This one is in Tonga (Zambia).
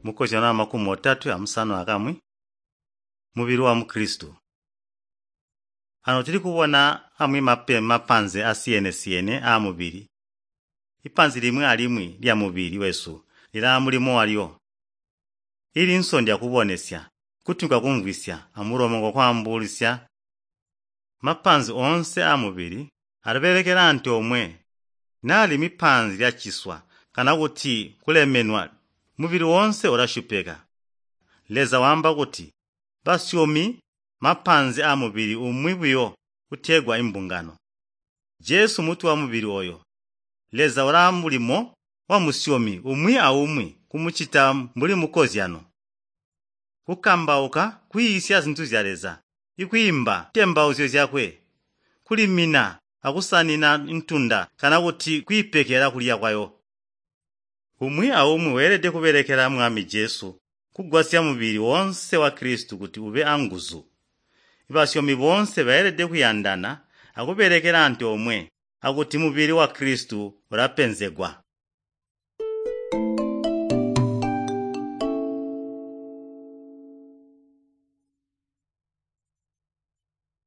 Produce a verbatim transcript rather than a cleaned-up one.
Mukozyano wamakumi otatwe amusanu akamwi, mubili wa muKristu. Ano tuli kubona amwi mapanze asiyene-siyene aamubili. Ipanzi limwi alimwi lyamubili wesu lilaa mulimo walyo. Ilinso ndyakubonesya, kutwi kwakumvwisya, amulomo ngwakwaambuulisya. Mapanzi oonse aamubili alabelekela antoomwe. Naa limwi panzi lyaciswa kana kuti kulemenwa, mubili woonse ulasyupeka. Leza waamba kuti basyomi mapanzi aamubili umwi buyo utegwa imbungano. Jesu mutwe wamubili oyo. Leza ulaa mulimo wamusyomi umwi aumwi kumucita mbuli mukozyano. Kukambauka, kwiisya zintu zya Leza, ikwiimba ntembauzyo zyakwe, kulimina akusanina ntunda kana kuti kwiipekela kulya kwayo. Umwi aumwi weelede kubelekela Mwami Jesu kugwasya mubili woonse wa Kristu kuti ube anguzu. Basyomi boonse beelede kuyandana akubelekela antoomwe akuti mubili wa Kristu ulapenzegwa.